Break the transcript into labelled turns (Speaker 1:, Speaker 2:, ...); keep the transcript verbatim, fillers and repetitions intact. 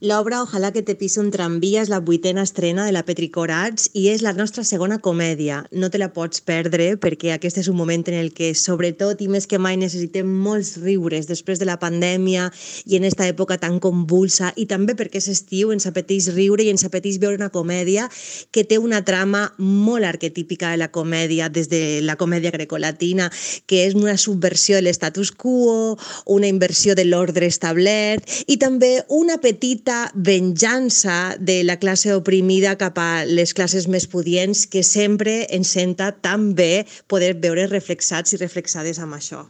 Speaker 1: L'obra Ojalá que te pise un tramvia és la vuitena estrena de la Petricorats i és la nostra segona comèdia. No te la pots perdre perquè aquest és un moment en el que, sobretot i més que mai, necessitem molts riures després de la pandèmia i en esta època tan convulsa, i també perquè és estiu, ens apeteix riure i ens apeteix veure una comèdia que té una trama molt arquetípica de la comèdia, des de la comèdia grecolatina, que és una subversió de l'estatus quo, una inversió de l'ordre establert i també una petita venjança de la classe oprimida cap a les classes més pudients, que sempre ens senta tan bé poder veure reflexats i reflexades amb això.